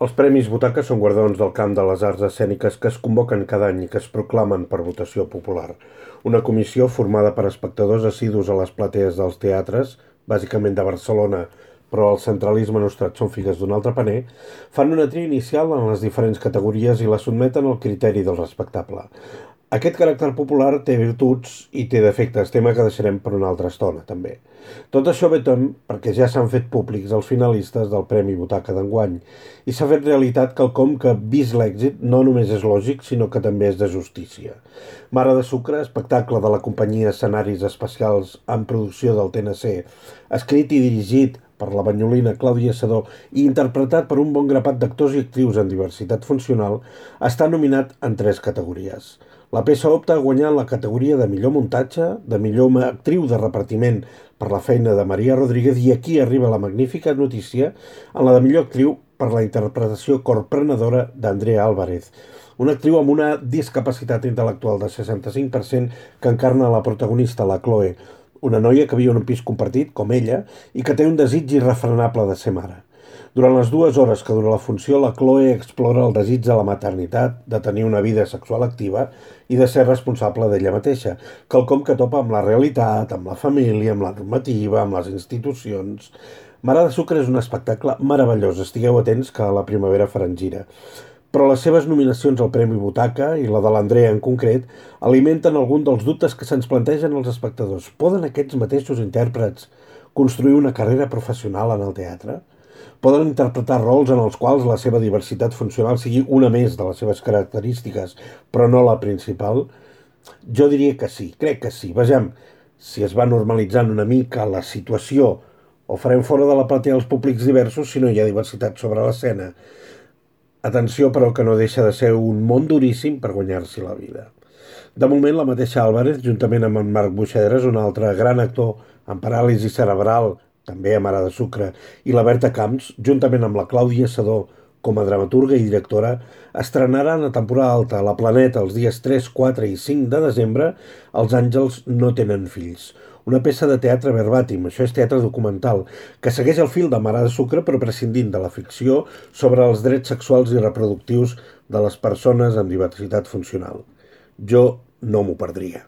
Els Premis Butaca són guardons del camp de les arts escèniques que es convoquen cada any i que es proclamen per votació popular. Una comissió formada per espectadors assidus a les platees dels teatres, bàsicament de Barcelona, però el centralisme nostrat són figues d'un altre paner, fan una tria inicial en les diferents categories i la sotmeten al criteri del respectable. Aquest caràcter popular té virtuts i té defectes, tema que deixarem per una altra estona, també. Tot això ve perquè ja s'han fet públics els finalistes del Premi Butaca d'enguany i s'ha fet realitat quelcom que, vist l'èxit, no només és lògic, sinó que també és de justícia. Mare de Sucre, espectacle de la companyia Escenaris Especials en producció del TNC, escrit i dirigit per la banyolina Clàudia Sedó i interpretat per un bon grapat d'actors i actrius en diversitat funcional, està nominat en 3 categories. La peça opta a guanyar la categoria de millor muntatge, de millor actriu de repartiment per la feina de Maria Rodríguez i aquí arriba la magnífica notícia en la de millor actriu per la interpretació corprenedora d'Andrea Álvarez, una actriu amb una discapacitat intel·lectual de 65% que encarna la protagonista, la Chloe, una noia que viu en un pis compartit, com ella, i que té un desig irrefrenable de ser mare. Durant les 2 hores que dura la funció, la Chloe explora el desig de la maternitat, de tenir una vida sexual activa i de ser responsable d'ella mateixa, quelcom que topa amb la realitat, amb la família, amb la normativa, amb les institucions. Mare de Sucre és un espectacle meravellós, estigueu atents que a la primavera faran gira. Però les seves nominacions al Premi Butaca, i la de l'Andrea en concret, alimenten algun dels dubtes que se'ns plantegen els espectadors. Poden aquests mateixos intèrprets construir una carrera professional en el teatre? Poden interpretar rols en els quals la seva diversitat funcional sigui una més de les seves característiques, però no la principal? Jo diria que sí, crec que sí. Vejam, si es va normalitzant una mica la situació, o farem fora de la platea els públics diversos si no hi ha diversitat sobre l'escena. Atenció, però, que no deixa de ser un món duríssim per guanyar-s'hi la vida. De moment, la mateixa Álvarez, juntament amb en Marc Buixedres, un altre gran actor amb paràlisi cerebral, també a Mare de Sucre, i la Berta Camps, juntament amb la Clàudia Sedó, com a dramaturga i directora, estrenaran a temporada alta a la Planeta els dies 3, 4 i 5 de desembre Els àngels no tenen fills. Una peça de teatre verbatim, això és teatre documental, que segueix el fil de Mare de Sucre però prescindint de la ficció sobre els drets sexuals i reproductius de les persones amb diversitat funcional. Jo no m'ho perdria.